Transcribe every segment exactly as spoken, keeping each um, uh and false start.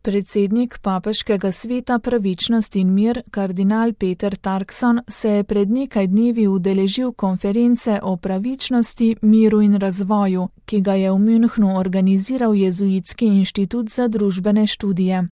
Predsednik Papeškega sveta pravičnost in mir, kardinal Peter Turkson, se je pred nekaj dnevi udeležil konference o pravičnosti, miru in razvoju, ki ga je v Münchnu organiziral Jezuitski inštitut za družbene študije.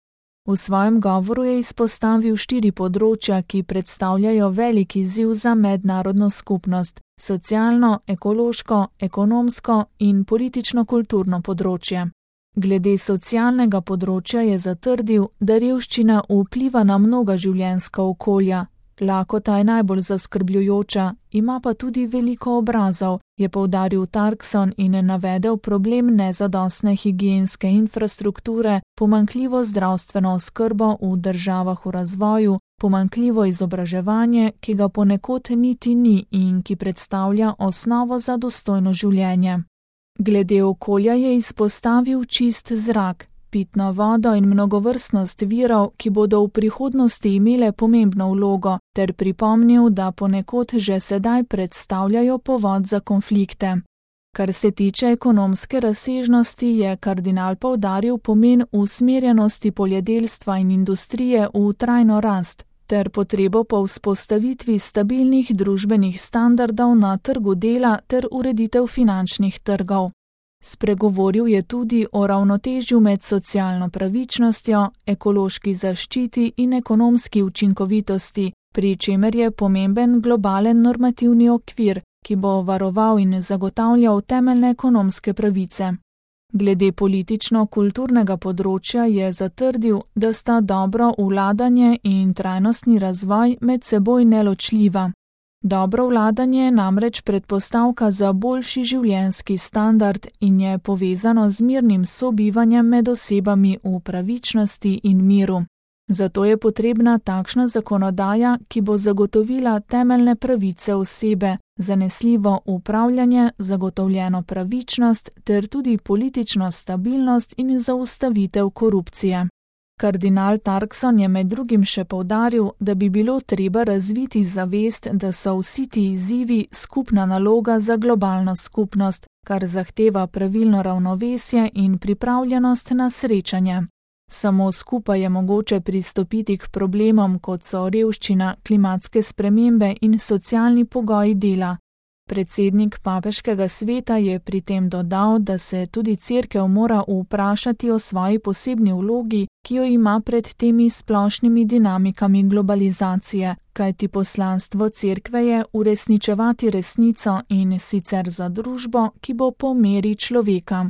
V svojem govoru je izpostavil štiri področja, ki predstavljajo velik izziv za mednarodno skupnost: socialno, ekološko, ekonomsko in politično-kulturno področje. Glede socialnega področja je zatrdil, da revščina vpliva na mnoga življenjska okolja. Lakota je najbolj zaskrbljujoča, ima pa tudi veliko obrazov, je poudaril Turkson in navedel problem nezadostne higienske infrastrukture, pomanjkljivo zdravstveno oskrbo v državah v razvoju, pomanjkljivo izobraževanje, ki ga ponekod niti ni in ki predstavlja osnovo za dostojno življenje. Glede okolja je izpostavil čist zrak, pitno vodo in mnogovrstnost virov, ki bodo v prihodnosti imele pomembno vlogo, ter pripomnil, da ponekod že sedaj predstavljajo povod za konflikte. Kar se tiče ekonomske razsežnosti, je kardinal poudaril pomen usmerjenosti poljedelstva in industrije v trajno rast, ter potrebo po vzpostavitvi stabilnih družbenih standardov na trgu dela ter ureditev finančnih trgov. Spregovoril je tudi o ravnotežju med socialno pravičnostjo, ekološki zaščiti in ekonomski učinkovitosti, pri čemer je pomemben globalen normativni okvir, ki bo varoval in zagotavljal temeljne ekonomske pravice. Glede politično-kulturnega področja je zatrdil, da sta dobro vladanje in trajnostni razvoj med seboj neločljiva. Dobro vladanje je namreč predpostavka za boljši življenjski standard in je povezano z mirnim sobivanjem med osebami v pravičnosti in miru. Zato je potrebna takšna zakonodaja, ki bo zagotovila temeljne pravice osebe, zanesljivo upravljanje, zagotovljeno pravičnost ter tudi politično stabilnost in zaustavitev korupcije. Kardinal Turkson je med drugim še poudaril, da bi bilo treba razviti zavest, da so vsi ti izzivi skupna naloga za globalno skupnost, kar zahteva pravilno ravnovesje in pripravljenost na srečanje. Samo skupaj je mogoče pristopiti k problemom, kot so revščina, klimatske spremembe in socialni pogoji dela. Predsednik Papeškega sveta je pri tem dodal, da se tudi Cerkev mora vprašati o svoji posebni vlogi, ki jo ima pred temi splošnimi dinamikami globalizacije, kajti poslanstvo Cerkve je uresničevati resnico in sicer za družbo, ki bo po meri človeka.